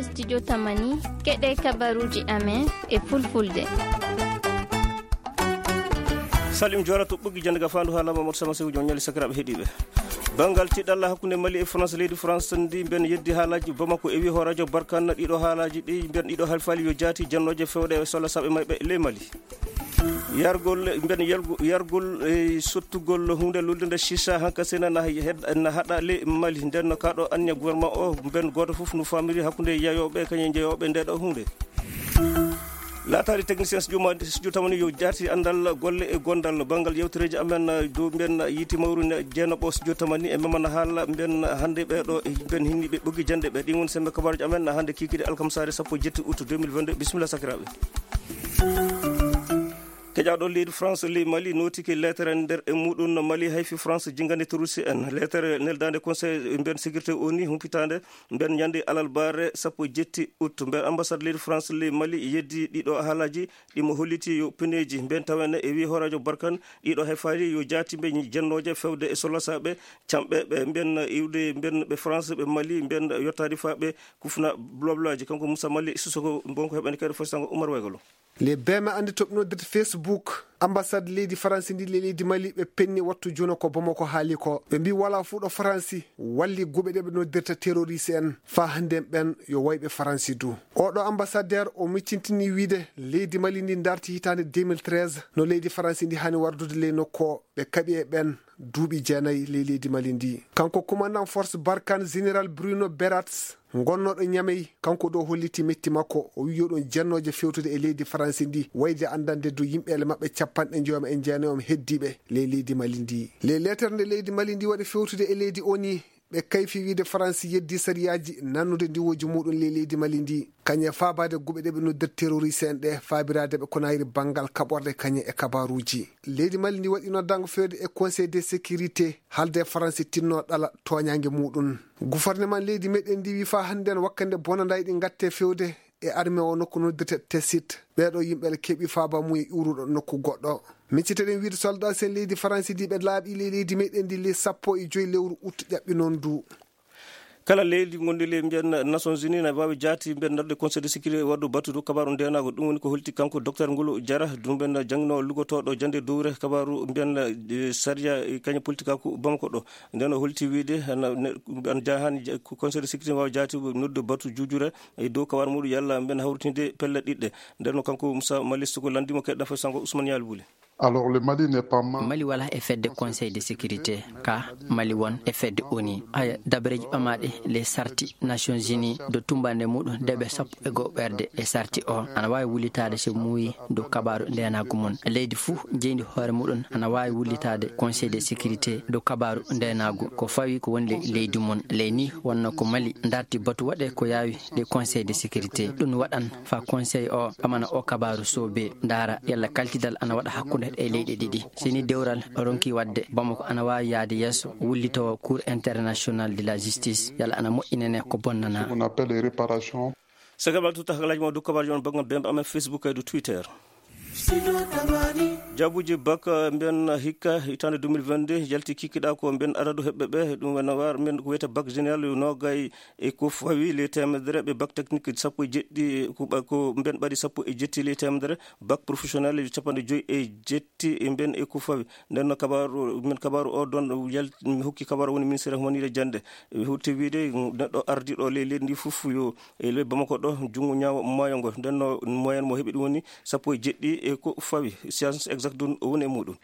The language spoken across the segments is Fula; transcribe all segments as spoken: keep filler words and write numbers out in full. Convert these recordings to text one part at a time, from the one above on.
Studio Tamani, keɗe kabaruji amen e fulfulde. Salim Jora to ɓoggi jande ga fandu hala Mamadou Sama Sew jom ñali sakiraɓe heɗiɓe. Bangal tiɗalla hakkunde Mali e France, leydi France ndi ben yeddi haalaji Bamako e wi horajo Barkan ɗiɗo haalaji ɗi ben ɗiɗo halfali yo jaati jannoje fewde e sola saɓe mayɓe le Mali. Yargol, mbiɗen yargu-, yargol e sottugol huunde lollude sisa hanka sena na hed-, na haɗa le Mali. Nden no kaɗo anniya gouvernement o, mbiɗen gooto fof no famiri hakkunde yayooɓe kañum e jeyooɓe nde ɗo huunde. Laataari technicien studio ma, studio tamani yo jaati anndal golle e gondal. Banngal yewtereeji amen, dow mbiɗen yiiti mawru ne jeenaɓo studio tamani e memana haala mbiɗen hannde ɓe ɗo, mbiɗen hinni ɓe ɓoggi jannde ɓe. Ɗin woni sembe kabaaruji amen hannde kikiɗe alkamsaare sappo e jetti août deux mille vingt-deux. Bisimilla sakiraaɓe. Keƴaaɗo leydi France, ley Mali, nootike leetere nder e muɗum no Mali hayfi France jingande terroriste en. Leetere neldaande Conseil mbiyen sécurité O N U humpitaande mbiyen ñande alarbaare sappo e jetti août. Mbiyen ambassade leydi France ley Mali yeddi ɗiɗo haalaaji ɗi mo holliti yo peneeji. Mbiyen tawene e wi horajo Barkan ɗiɗo hayfaali yo jaati mbe jennooje fewde e solasaaɓe camɓe ɓe mbiyen iwde mbiyen ɓe France ɓe Mali mbiyen yottaade faa ɓe kufna bloblaaji. Kanko Moussa Mali Sissoko bonko heɓani kadi fositango Oumar Waygolo. Les beme andi toɓnodirde Facebook, ambassade leydi Faransi ndi le leydi Mali ɓe penni wattu juno ko Bamako haali ko. Ɓe mbi wala fuɗo Faransi walli guɓe ɗe ɓe noddirta terroriste en. Fa hande ɓen yo wayɓe Faransi du. Oɗo ambassadeur o miccintini wiide leydi Mali ndi darti hitande deux mille treize no leydi Faransi ndi hani wardude ley nokko ɓe kaɓi e ɓen duuɓi jeenayi ley leydi Mali ndi. Kanko commandant force Barkhane, général Bruno Berats, gonnoɗo Niamey, kanko ɗo holliti metti makko, o wi yo ɗum jennooje fewtude e leydi Faransi ndi, wayde andande du yimɓeele maɓɓe capanɗe njoyoma e jeenayom heddiɓe ley leydi Mali ndi. Ley leetere nde leydi Mali ndi waɗi fewtude e leydi O N U, ɓe kayfi wiide Faransi yeddi sariyaaji nannude ndiwooji muɗum ley leydi Mali ndi. Kañe faabaade guɓe ɗe ɓe noddirta terroriste en ɗe, faabiraade ɓe ko nayri banngal kaɓorɗe kañe e kabaaruuji. Leydi Mali ndi waɗi noddaango feewde e Conseil de sécurité, haalde Faransi tinno ɗala tooñaange muɗum. Gouvernement leydi meɗen ndi wi faa hannden wakkande bonanday ɗi ngatte feewde e armée o nokku noddirte Tessit. Ɓeeɗo yimɓe keɓi faaba mum e ƴuuruɗo nokku goɗɗo. Micciteɗen wiide soldat sen leydi Faransi ndi ɓe laaɓi ley leydi meɗen ndi ley sappo e joy lewru août ƴaɓɓi noon du. Kala leydi ngondi ley mbiyen Nations Unies na waawi jaati mbiyen darde Conseil de sécurité waddu battudu kabaaru ndenago. Ɗum woni ko holti kanko Docteur Ngolo Jara, ɗum mbiyen jannginowo lugotoɗo jande dowre kabaaru mbiyen, eh, sariya, eh, kañum politique ko Bamako ɗo. Nden o holti wiide ana, ne, ana jahani ja-, ko Conseil de sécurité waawi jaati noddu batu jujure e dow kabaaru muɗum yalla mbiyen hawritinde pelle ɗiɗɗe. Nden no kanko Moussa Malice ko landimo keɗɗa fo sango Ousmane Yalbuli. Alors, le Mali n'est pas membre. Mali wala e fedde Conseil de sécurité, ka Mali won e fedde O N U. Haya, dabareji ɓamaɗe les sarti Nations Unies do tumbande muɗum deɓe sappo e go'o ɓerde e sarti o ana wawi wullitade so muuyi do kabaru ndenagu mum. Leydi fuu jeyndi hoore muɗum ana wawi wullitade Conseil de sécurité do kabaru ndenagu. Ko fawi ko woni le-, leydi mum. Ley ni wonno ko Mali darti batu waɗe ko yawi le Conseil de sécurité. Ɗum waɗan fa Conseil o ɓamana o kabaaru soobe, ndaara yalla kalkidal ana waɗa hakkunde e leyɗe ɗiɗi. Si ni dewral ronki waɗde, Bamako ana waawi yaade yeeso, wullitowo Cour international de la justice, yalla ana moƴƴinane ko bonnanaa. On appelle les réparations. Sagal tuta haklaaji ma dow kabaaruji on banngal bembe amen Facebook e dow Twitter. Jabuji bak, eh, mbiyen hikka hitaande deux mille vingt-deux yalti kikkiɗa ko mbiyen adadu heɓɓe ɓe, ɗum wona war mbiyen ko wiyete bak général yo nogay e ko fawi ley teemedere, ɓe bac technique sappo e jeɗɗi, ko ɓa-, ko mbiyen ɓaɗi sappo e jetti ley teemedere, bac professionnel yo capanɗe joyi e jetti, e mbiyen e ko fawi. Nden no kabaaru, mbiyen kabaaru o don yal-, mi hokki kabaaru woni ministère humaniire jannde. E hutti wiide neɗɗo ardiɗo ley leydi ndi fof yo e ley Bamako ɗo, junngo ñaawo maayo ngo. Nden no moyen mo heɓi ɗum woni sappo e jeɗɗi e ko fawi. Science exacte ɗum woni e muɗum.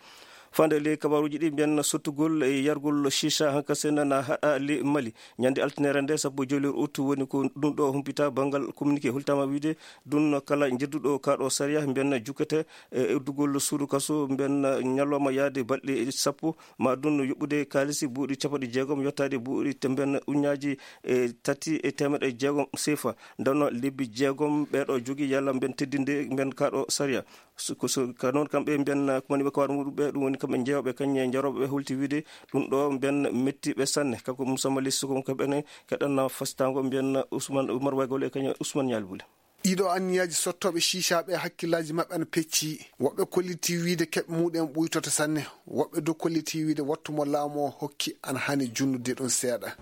Fande ley kabaaruji ɗi mbiyen sottugol e yargol shisha hanka sena na haɗa ley Mali. Ñande altinere nde sappo e joyi lewru août woni ko ɗum ɗo humpita banngal communiqué. Hultama wiide ɗum kala jedduɗo kaɗo sariya mbiyen jukkete e uddugol suudu kaso mbiyen ñalawma yaade balɗe sappo ma ɗum yoɓɓude kaalisi buuɗi capanɗe jeegom yottaade buuɗi te mbiyen uññaaji e tati e teemeɗe jeegom sefa. Nden no lebbi jeegom ɓeɗo jogii yalla mbiyen teddinde mbiyen kaɗo sariya. So, ko so, ka noon kamɓe mbiyen, uh, ko woni ɓe kawar muɗum ɓe, ɗum woni kamɓe jeewɓe, kañum e jarooɓe ɓe holti wiide ɗum ɗo mbiyen mettiɓe sanne. Kanko Moussa Mali Sissoko, ko ɓene keɗanna fasitango mbiyen Ousmane Oumar Waygol e kañum e Ousmane Ñaali Bule. Ɗiɗo anniyaaji sottooɓe shisha ɓe hakkillaaji maɓɓe ana pecci. Woɓɓe kollitii wiyde keɓe muɗum en ɓuytoto sanne. Woɓɓe du kollitii wiyde wattu mo laamu o hokki ana hani junnude ɗum seeɗa.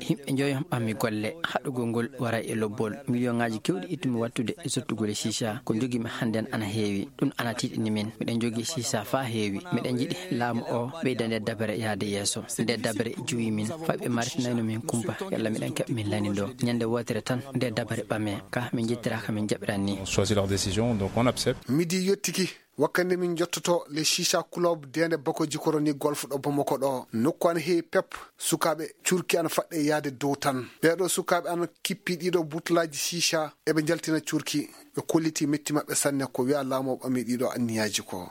Yimɓe njoyo ɓammi golle. Haɗugol ngol wara e lobbol. Miliyoŋaaji kewɗi ittumi wattude e sottugol e shisha. Ko njogimi hannden ana heewi. Ɗum ana tiiɗini min. Miɗen njogii sisa faa heewi. Miɗen njiɗi laamu o ɓeyda nde dabere yahde yeeso. Nde dabere juwi min. Fay ɓe martinayno min kumpa. Yalla miɗen keɓa min lanindo. Ñande wootere tan nde dabare ɓame. Ka min njettiraaka min jaɓiran ni. On choisit leur décision, donc on accepte. Midi yottiki. Wakkande min jottoto le shisha club dende bako jikoroni golf ɗo Bamako ɗo. Nokku ana heewi pep. Sukaaɓe curki ana faɗɗe yahde dow tan. Ɓeeɗo sukaaɓe ana kippi ɗiɗo butulaaji shisha. Eɓe njaltina curki. Ɓe kolliti metti maɓɓe sanne ko wiya laamu o ɓami ɗiɗo anniyaaji ko.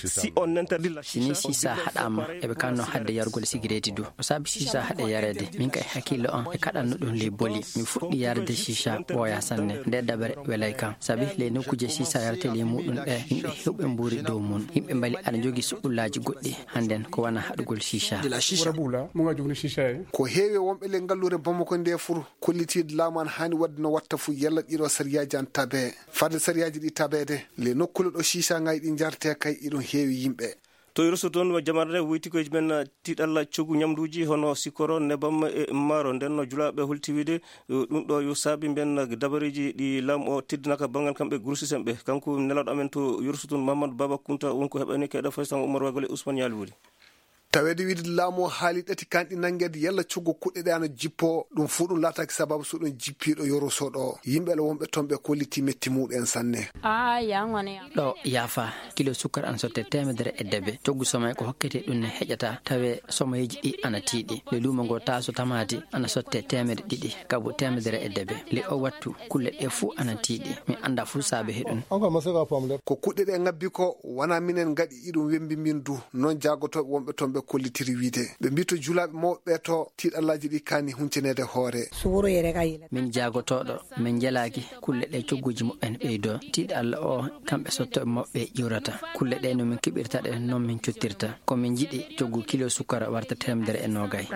Si on interdit la Si ni sisa haɗaama, eɓe kanno hadde yargol sigireeti du. O saabi sisa haɗe yareede. Min kay hakkillo am e kaɗanno ɗum ley boli. Mi fuɗɗi yarde sisa ɓooya sanne. Nde dabare welay kam. Sabi ley nokkuuje sisa yarate ley muɗum ɗe, yimɓe hewɓe mbuuri dow mun. Yimɓe mbali aɗa njogi suɓɓullaaji goɗɗi. Hannden ko wana haɗugol sisa. Ko heewi wonɓe ley ngalluure Bamako nde fur kollitiiɗo laamu an haani waɗde no watta fu yalla ɗiɗo sariyaaji an tabe. Fadde sariyaaji ɗi tabeede, le nokkule ɗo sisa ngayi ɗi njarte kay iɗum heewi yimɓe. To Yurusu toon, jamanaare woyti koye men tiiɗalla coggu ñamduuji hono sikkoro, nebam e maaro. Nden no julaaɓe holti wiide, ɗum ɗo yo saabi mben dabareeji ɗi laamu o teddinaka banngal kamɓe grossiste en ɓe. Kanko nelaaɗo amen to Yurusu toon, Mamadou Baba Kunta, won ko heɓani kayɗo faysan Umar Wagol e Ousmane Yaali Wuli. Taweede wiide laamu o haali ɗati kanɗi nanngeede yalla coggu kuɗɗe ɗe ana jippo, ɗum fuu ɗum laataaki sababu so ɗum jippiiɗo Yoroso ɗo. Yimɓe ala wonɓe toon ɓe kolliti metti muɗum en sanne. Ɗo yaafa, kilo sukkar ana sotte teemedere e debe. Coggu somay ko hokkete ɗum ne heƴata, tawe somayeeji ɗi ana tiiɗi. Le luumo ngo taaso tamaati ana sotte teemedere ɗiɗi, kabu teemedere e debe. Le o wattu, kulle ɗe fuu ana tiiɗi. Mi annda fuu saabe he ɗum. Ko kuɗɗe ɗe ngabbi ko, wona minen ngaɗi iɗum wembi min du. Noon jaagotooɓe wonɓe toon ɓe kollitiri wiide. Ɓe mbii to julaaɓe mawɓe ɓe to, tiiɗallaaji ɗi kaani huncaneede hoore. Min jaagotooɗo, min njelaaki kulle ɗe cogguuji muɓɓen ɓeydoo. Tiiɗalla o kamɓe sottooɓe mawɓe ɓe ƴiwrata. Kulle ɗe no min keɓirta ɗe, noon min cottirta. Ko min njiɗi coggu kilo sukkara warta teemedere e noogay.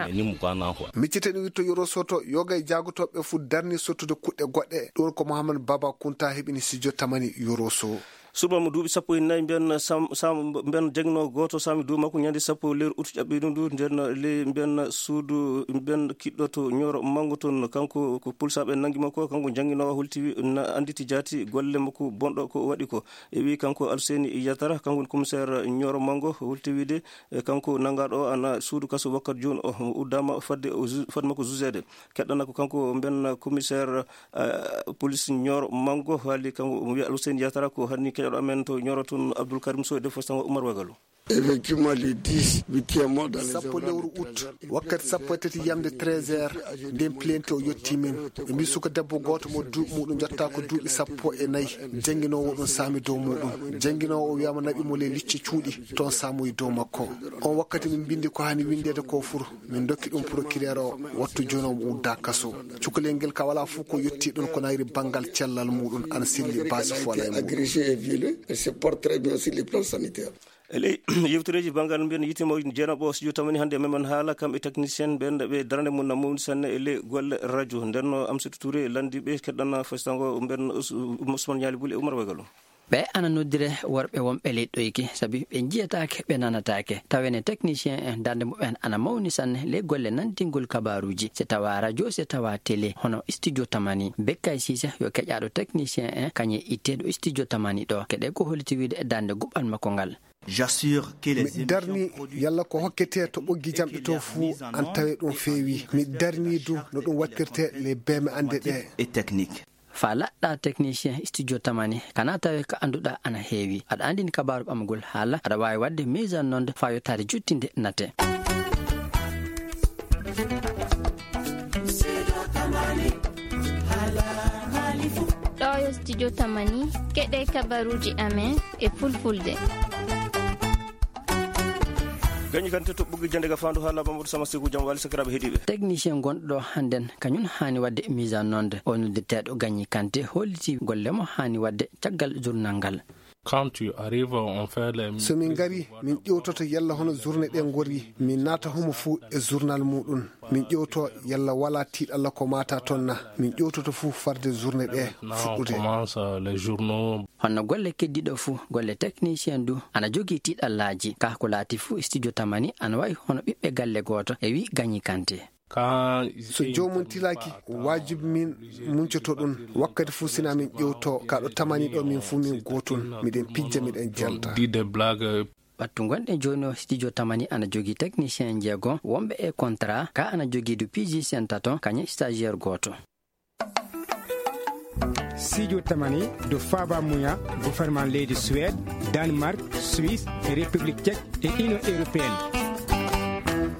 Miccite ɗum witto Yoro Soto, yoga e jaagotooɓe fuu darni sottude kuɗɗe goɗɗe. Ɗum ko Mohamed Baba Kunta heɓini studio Tamani Yoro Sow. Suɓam duuɓi sappo e nayi mbiyan sam sam mbiyan jagno gooto sami dow makko ñande sappo lewru ut ƴaɓɓiɗo ndu nden ley mbiyan suudu mbiyan kiɗɗo to ñooro mango toon. Kanko ko pulsaaɓe nangi makko, kanko jannginoowo holti wi na annditi jaati golle makko bonɗo ko waɗi ko. E wi kanko Alseni Yatara, kanko woni commissaire ñooro mango, holti wiide e kanko nangaaɗo o ana suudu kaso wakkat jooni o uddaama fadde o ju- fadde makko jugeede. Keɗɗana ko kanko mbiyan commissaire police ñooro mango, haali kanko o wiya Alseni Yatara ko hanni keɗoɗo amen to ñooro toon Abdoul Karim Sow e defo sango Oumar Wagalo. Effectivement, le dix, huitième mois dans les sappo lewru ut wakkati sappo e tati yamde treize heures, nden plainte o yetti min. Ɓe mbi suka debbo gooto mo duuɓi muɗum jotta ko duuɓi sappo e nayi, jannginoowo ɗum saami dow muɗum. Jannginoowo o wiyama naɓi mo ley licce cuuɗi toon saamoyi dow makko. On wakkati min mbindi ko hani windeede ko fur, min dokki ɗum procureur o, wattu jooni omo udda kaso. Cukalel ngel ka wala fof ko yetti ɗon ko nayri banngal cellal muɗum ana selli baasi fof alay muɗum. Agressé et violé, elle se porte très bien sur le plan sanitaire. E ley yewtereeji banngal mbiyen yitte mawɗi jeenaɓo studio Tamani hannde memen haala kam e technicien ɓen ɓe darande mum na mawni sanne e ley golle radio. Nden no Amsatou Touré lanndi ɓe keɗɗana festango mben Ousmane Ñaali Buli e Oumar Wagalo. Ɓe ana noddire worɓe wonɓe ley ɗoyki sabi ɓe njiyataake ɓe nanataake. Tawene technicien en darnde muɓɓen ana mawni sanne ley golle nantingol kabaruuji, si tawa radio si tawa télé hono studio Tamani. Bekkay Sise yo keƴaaɗo technicien en kañe itteeɗo studio Tamani ɗo. Keɗe ko holiti wiide e darnde guɓal makko ngal. Mi darni yalla ko hokkete to ɓoggi jamɗe to fuu an tawe ɗum feewi. Mi darni du no ɗum wattirte les beme ande ɗe. Fa laɗɗa technicien studio Tamani kana tawe ko annduɗa ana heewi. Aɗa anndini kabaaru ɓamagol haala aɗa waawi waɗde mise en onde fa yottaade juttinde nate. Ɗo yo studio Tamani keɗe kabaruuji amen e fulfulde. Gañi kante to ɓuggi jande ga fandu haala Mamadou Sama Sekou jam wali sakiraɓe heɗiɓe. Technicien gonɗo ɗo hannden kañum haani waɗde mise en onde. O noddirteeɗo Gañi Kante holliti golle mo haani waɗde caggal journal ngal. Quand tu arrives, on fait les... So min ngari, min ƴewtoto yalla hono journée ɗe ngori, min naata homo fuu e journal muɗum. Min ƴewto yalla wala tiiɗalla ko mata toon na. Min ƴewtoto fuu farde journée ɗe fuɗɗude. Commence, euh, les journaux. Honno golle keddiɗo fuu, golle technicien du, ana jogii tiiɗallaaji. Ka ko laati fuu, studio Tamani ana wayi hono ɓiɓɓe galle gooto, e wi Gañi Kante. So joomum tilaaki, waajibi min muncoto ɗum. Wakkati fuu sina min ƴewto, ka ɗo Tamani ɗo min fuu min gootun. Miɗen pijja, miɗen jelta. Dit des blagues. Ɓattu gonɗen jooni o, studio Tamani ana jogii technicien jeego, wonɓe e contrat, ka ana jogii du P G C N tato, kañum stagiaire gooto. Studio Tamani du Faba Muya, gouvernement leydi Suède, Danemark, Suisse, e République Tchèque e Union Européenne.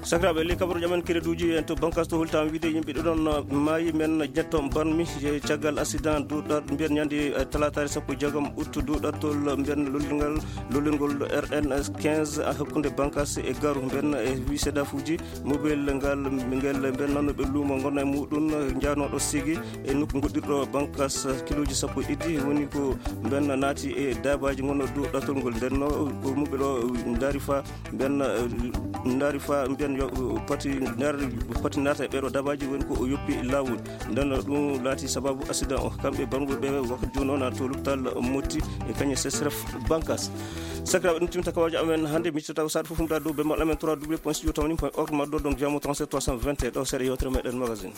Sakiraaɓe, ley kabaruuji amen kereduuji en to bankas to hultaama wiide yimɓe ɗiɗon maayi men jetto banmi e caggal accident duuɗat mbiyen ñande, eh, talataare sappo e jeegom août duuɗatol mbiyen lollirngal, lollirngol R N quinze hakkunde bankas e garu mbiyen e wi sedafuuji. Mobile ngal, ngel mbiyen nanooɓe luumo ngonna e muɗum njaanooɗo sigi e nokku goɗɗirɗo bankas kilooji sappo e ɗiɗi woni ko mbiyen naati e daabaaji ngonnoo dow ɗatol ngol. Nden no ko mobile o ndaari fa mbiyen, eh, ndaari fa mbiyen yo pati ndaari pati naata e ɓeeɗo daabaaji woni ko o yoppi laawol. Nden no ɗum laati sababu accident o. Kamɓe banngol ɓe wakkati jooni o na to lopital Motti e kañe C S R F bankas. Sakiraaɓe, ɗum timta kawaaji amen hannde. Miccitata ko saɗa fof ɗum ɗa dow bemmal amen trois W point studio tamani point org, ma ɗo donc via mo trente-sept trois cent vingt et un ɗo seeɗa yewtere meɗen magazine.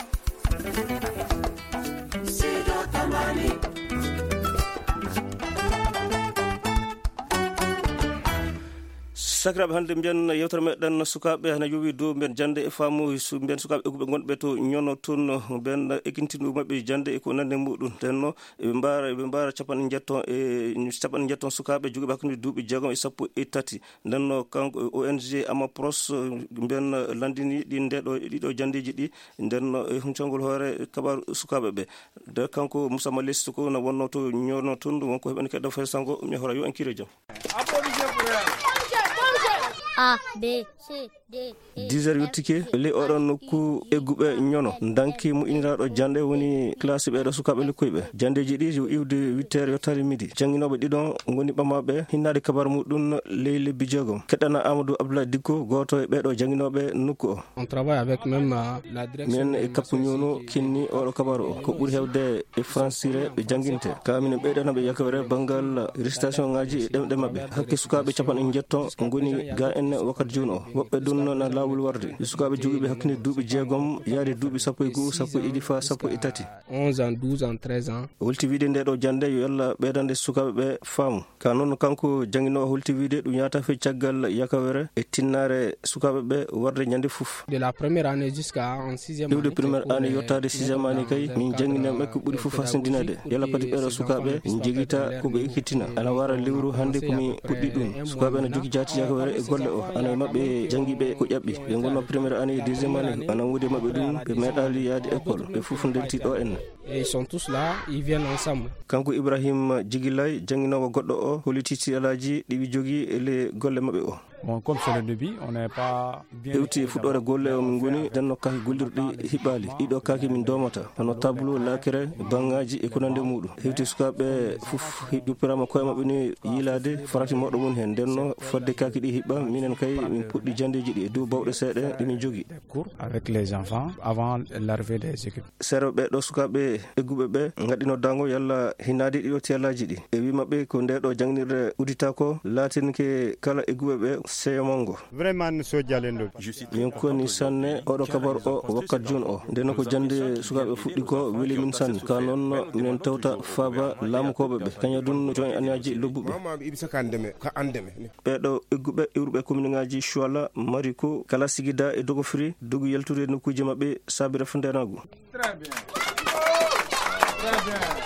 Sakiraaɓe, hannde mbiyen yewtere meɗen sukaaɓe ana yowi dow mbiyen jannde e faamu su-, mbiyen sukaaɓe egguɓe gonɓe to ñono toon, mbiyen ekkintinɗo maɓɓe jannde e ko nande muɗum. Nden no eɓe mbaara, eɓe mbaara capanɗe njettoo e, capanɗe njettoo sukaaɓe jogiiɓe hakkunde duuɓi jeegom e sappo e tati. Nden no kanko O N G Amapros, mbiyen lanndini ɗi ndeɗo, ɗiɗo janndeeji ɗi. Nden no e huncangol hoore kabaaru sukaaɓe ɓe. De kanko Moussa Malesi ko na wonno to ñono toon, wonko heɓani kadi fay sango, mi hora yo en kiire jam. A, B, C, D, E, dix heures F, yottike, G, ley oɗon nokku egguɓe ñono. Ndanki mo iniraaɗo jannde woni classe ɓeeɗo sukaaɓe lekkoyɓe. Janndeeji ɗi yo iwde huit heures yottaade midi. Jannginooɓe ɗiɗon ngoni ɓamaaɓe hinnaade kabaru muɗum ley lebbi jeegom. Keɗɗana Amadou Abdoulaye Dikko, gooto e ɓeeɗo jannginooɓe nokku o. On travaille avec même, euh, la direction. Minen e kappu ñono kinni oɗo kabaru o. Ko ɓuri heewde e fransire ɓe jannginte. Ka minen ɓeydana ɓe yakawere banngal récitation ngaji e ɗemɗe maɓɓe. Hakke sukaaɓe capanɗe njettoo ngoni ga en wakkati jooni o. Woɓɓe ɗum na laawol warde. E sukaaɓe jogiiɓe hakkunde duuɓi jeegom yaade duuɓi sappo e goo, sappo e ɗiɗi faa sappo e tati. Onze ans, douze ans, treize ans. O welti wiide nde ɗo jannde yo yalla ɓeydande sukaaɓe ɓe faamu. Ka noon, kanko jannginoowo holti wiide ɗum yahata fey caggal yakawere e tinnaare sukaaɓe ɓe warde ñande fof. De la première année jusqu'à en sixième année, iwde première année yottaade sixième année kay, min janngini ɓe ko ɓuri fof hasindinaade. Yalla pati ɓeeɗo sukaaɓe njogita ko ɓe ekkitina. Ana wara lewru hannde ko mi puɗɗi ɗum. Sukaaɓe ana jogii jaati yakawere e golle o. Ana e maɓɓe janngiiɓe ko ƴaɓɓi. Ɓe ngonnoo première année e deuxième année. Ana woodi e maɓɓe ɗum, ɓe meeɗaali yahde école. Ɓe fof ndenti ɗo en. Et ils sont tous là, ils viennent ensemble. Kanko Ibrahim Jigilay, jannginoowo goɗɗo o, holliti tiiɗalaaji ɗi ɓe jogii e le golle maɓɓe o. Bon, comme c'est le début, on n'est pas bien... Hewti e fuɗɗoore golle o min ngoni, nden no kaaki gollirɗi hiɓɓaali. Ɗiɗo kaaki min doomata, hono tableau, lakere, banngaaji e ko nanndi e muɗum. Hewti sukaaɓe fof hi-, juppiraama koye maɓɓe ni yiilaade farati mawɗo mum heen. Nden no fodde kaaki ɗi hiɓɓa, minen kay min puɗɗi janndeeji ɗi e dow bawɗe seeɗa ɗi min jogii. Cours avec les enfants avant l'arrivée des équipes. Seeɗa ɓee ɗoo sukaaɓe egguɓe ɓe ngaɗi noddaango yalla hinaade ɗiɗo tiyalaaji ɗi. E wii maɓɓe ko ndee ɗoo jannginirde udditaako laatinke kala egguɓe ɓe seyo manngo. Vraiment, no sojjalen ɗo. Min koni sanne oɗo kabaru o wakkat jooni o. Ndeno ko jannde sukaaɓe fuɗɗi ko weli min sanne. Ka noon minen tewta faaba laamukooɓe ɓe. Kaña ɗum no jooni aniyaaji lobbuɓe. Mama iɓe saka andeme, ka andeme. Ɓee ɗoo egguɓe iwruɓe kominŋaaji Cuala, Mariko, Kala Sigida e Dogofiri, dogi yaltude nokkuuji maɓɓe saabi rafondeenaagu. Très bien. Très bien.